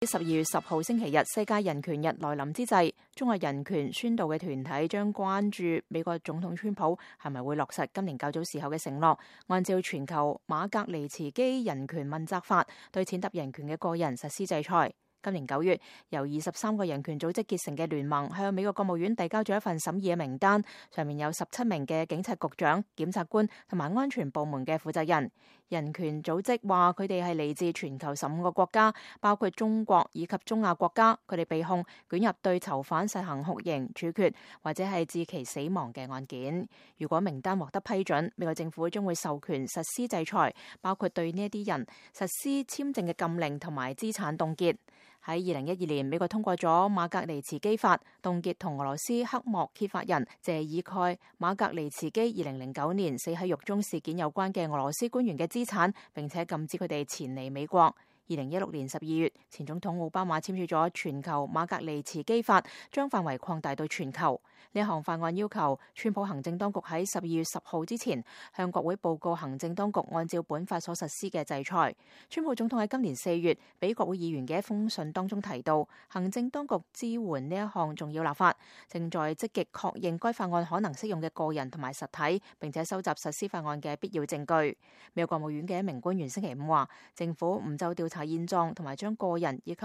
12月10號星期日，世界人權日來臨之際，中國人權宣導嘅團體將關注美國總統川普係咪會落實今年較早時候嘅承諾，按照全球馬格尼茨基人權問責法，對踐踏人權嘅個人實施制裁。今年9月，由23個人權組織結成嘅聯盟向美國國務院遞交咗一份審議嘅名單，上面有17名嘅警察局長、檢察官同埋安全部門嘅負責人。人權組織話佢哋係嚟自全球15個國家，包括中國以及中亞國家。佢哋被控捲入對囚犯實行酷刑處決或者係致其死亡嘅案件。如果名單獲得批准，美國政府將會授權實施制裁，包括對呢一啲人實施簽證嘅禁令同埋資產凍結。喺2012年，美國通過咗馬格尼茨基法，凍結同俄羅斯黑幕揭發人謝爾蓋·馬格尼茨基2009年死喺獄中事件有關嘅俄羅斯官員嘅資產，並且禁止佢哋前嚟美國。2016年12月，前總統奧巴馬簽署咗全球馬格尼茨基法，將範圍擴大到全球。呢項法案要求川普行政當局喺12月10號之前向國會報告行政當局按照本法所實施嘅制裁。川普總統喺今年4月俾國會議員嘅一封信當中提到，行政當局支援呢一項重要立法，正在積極確認該法案可能適用嘅個人同埋實體，並且收集實施法案嘅必要證據。美國國務院嘅一名官員星期5話，政府唔就調查現狀同埋將個人以及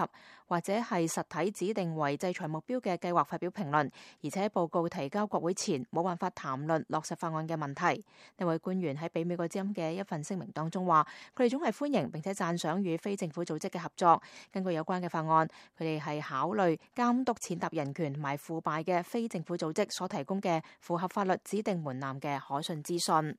或者係實體指定為制裁目標嘅計劃發表評論，而且報告提交國會前冇辦法談論落實法案嘅問題。呢位官員喺俾美國之音嘅一份聲明當中話，佢哋總係歡迎並且讚賞與非政府組織嘅合作。根據有關嘅法案，佢哋係考慮監督踐踏人權同埋腐敗嘅非政府組織所提供嘅符合法律指定門檻嘅可信資訊。